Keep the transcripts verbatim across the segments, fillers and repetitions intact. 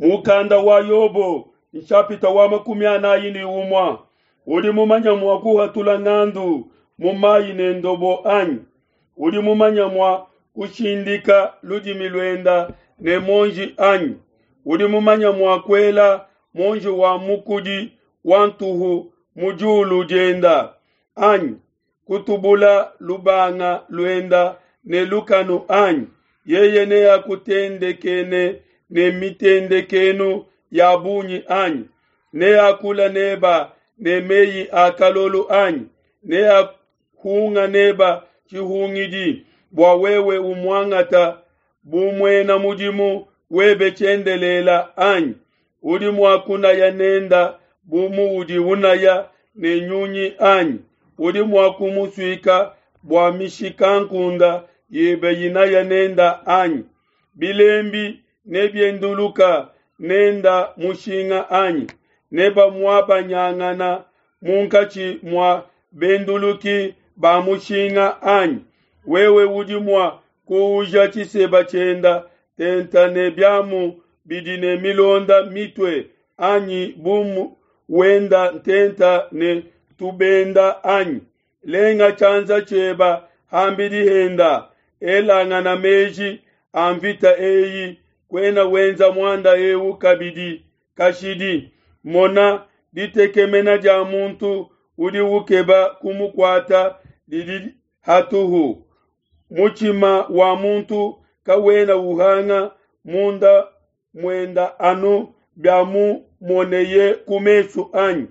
Mukanda wa Yobo nshapita wa makumi anayi ne umua udi mumanya mua kuhatula ngandu mu mayi ne ndobo anyi? Udi mumanya mua kushindika ludimi luenda ne monji anyi? Udi mumanya mua kuela monji wa mukudi wa ntuhu mu diulu dienda anyi? Kutubula lubanga luenda ne lukanu anyi? Yeye neakutendekene ne mitendekenu ya bungi anyi? Neakula neba ne meyi a kalolo anyi? Neahunga neba tshihungidi bua wewe umuangata bu muena mudimu webe tshiendelela anyi? Udi mua kunaya nenda bu muudi unaya ne nyunyi anyi? Udi mua kumusuika bua mishikankunde yebe inaya nenda anyi? Bilembi nebienduluka nenda mushinga anyi? Nebamuabanyangana munkatshi mua benduluki ba mushinga anyi? Wewe udi mua kuuja tshiseba tshienda tenta ne biamu bidi ne milonda mitue anyi bu wenda ntenta ne tubenda anyi? Lenga tshianza tshieba hambidi henda, elangana meji a mvita eyi, kuena wenza muanda eu kabidi kashidi. Mona, ditekemena dia muntu udi ukeba kumukuata didi hatuhu. Mutshima wa muntu kawena uhanga munda muenda anu bia mumoneye ku mesu anyi.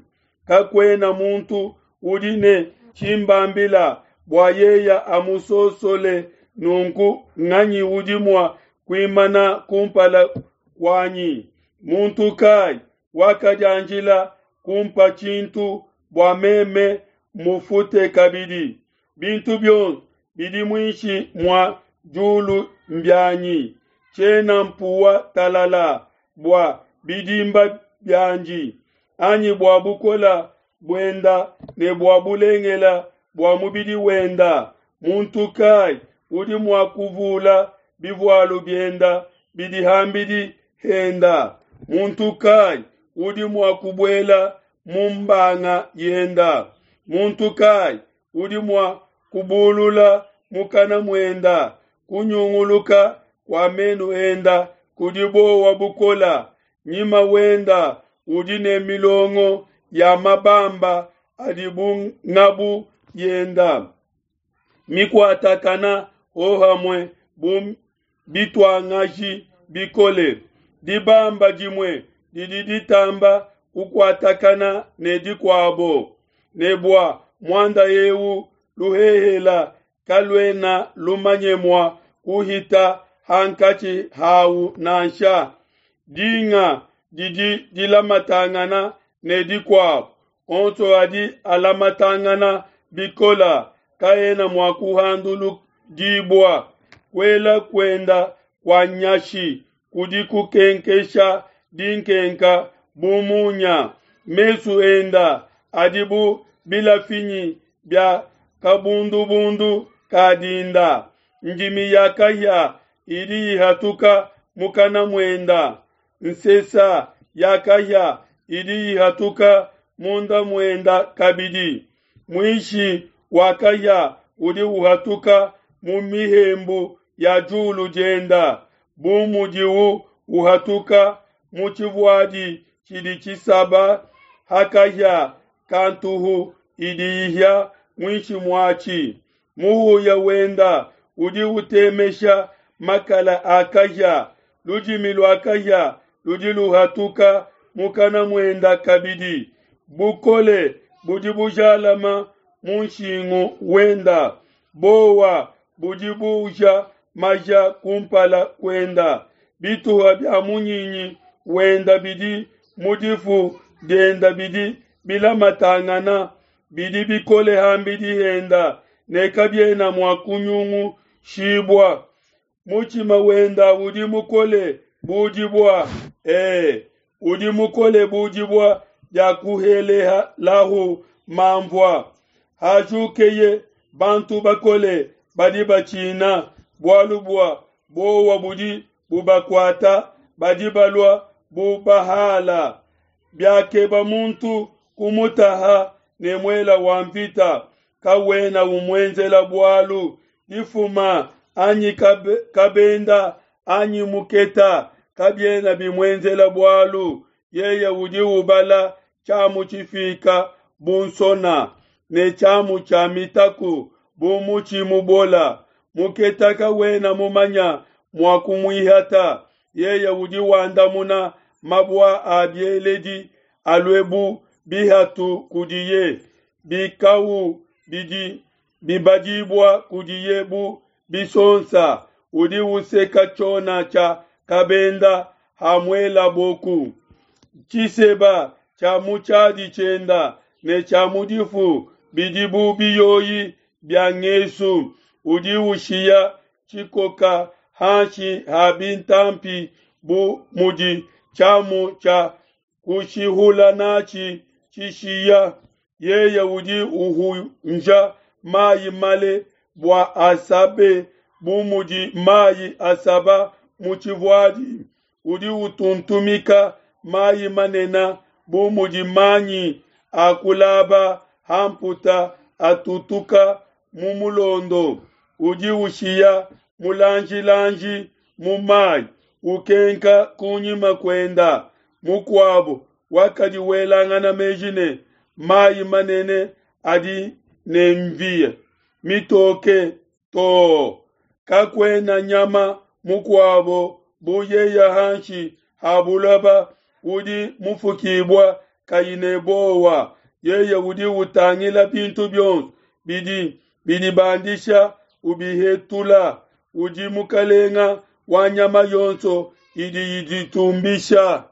Kakuena muntu udi ne tshimbambila bua yeya amusosole nunku nganyi udi mua kuimana kumpala kuanyi? Muntu kai wakadianjila kumpa tshintu bua meme mufute kabidi? Bintu bionso bidi muinshi mua diulu mbianyi. Tshiena mpuwa talala bua bidimba bianji, anyi bua bukola buenda ne bua bulengela bua mubidi wenda. Muntu kai udi mua kuvula bivualu bienda bidi hambidi henda? Muntu kai udi mua kubuela mu mbanga yenda? Muntu kai udi mua kubulula mukana muenda? Kunyunguluka kua menu enda kudi bowa bukola. Nyima wenda udi ne milongo ya mabamba adi bu ngabu yenda mikuatakana hohamue bu bituangaji bikole. Dibamba dimue didi ditamba kukuatakana ne dikuabo, ne bua muanda eu luhehela kaluena lumanye mua kuhita hankatshi hau nansha. Dinga didi dilamatangana ne dikuabo, onso adi alamatangana bikola, kaena mua kuhanduludibua. Kuela kuenda kua nyashi kudi kukenkesha dinkenka bu munya. Mesu enda adi bu bilafinyi bia kabundubundu ka dinda. Ndimi ya kahia idi ihatuka mukana muenda. Nsesa ya kahia idi ihatuka munda muenda kabidi. Muishi wa kahia udi uhatuka mu mihembu ya diulu dienda, bu mudiwu uhatuka mu tshivuadi tshidi tshisaba ha kahia ka ntuhu idi ihia muinshi muatshi. Muhuya wenda udi utemesha makala a kahia, ludimi lua kahia ludi luhatuka mukana muenda kabidi. Bukole budi bujalama mu nshingu wenda, bowa budi buja maja kumpala kuenda. Bituha bia munyinyi wenda bidi mu difu dienda bidi bilamatangana, bidi bikole hambidi henda ne kabiena mua kunyungushibua. Mutshima wenda udi mukole bu dibua, e, udi mukole bu dibua dia kuhelelahu manvua. Hajukeye, bantu bakole badi batshina, bualu bua bowa budi bubakuata, badi balua bu bahala. Biakeba muntu kumutaha ne muela wa mvita, kawena umuenzela bualu. Difuma anyi kabenda anyi muketa kabiena bimuenzela bualu. Yeye udi ubala tshiamu tshifika bu nsona, ne tshiamu tshia mitaku bu mutshi mubola. Muketa kawena mumanya mua kumuihata. Yeye udi wandamuna mabua a bieledi alue bu bihatu kudiye. Bikau bidi bibadibua kudiye bu bisonsa. Udi useka tshiona tshia kabenda hamuelaboku. Tshiseba tshia mu tshiadi tshienda ne tshia mu difu bidi bu biyoyi bia ngesu. Udi ushiya tshikoka hanshi ha bintampi bu mudi tshiamu tshia kushihula natshi tshishiya. Yeye udi uhunja mayi male bua asabe bu mudi mayi asaba mu tshivuadi. Udi utuntumika mayi manene bu mudi manyi a kulaba ha mputa atutuka mu mulondo. Udi ushiya mulanjilanji mu mayi, ukenka kunyima kuenda. Mukuabo wakadi welangana meji ne, mayi manene adi ne mvia mitoke too. Kakuena nyama mukuabo bu yeye hanshi ha buloba udi mufukibua kayi ne buowa. Yeye udi utangila bintu bionso bidi bidibandisha ubihetula. Udi mukalenga wa nyama yonso idi iditumbisha.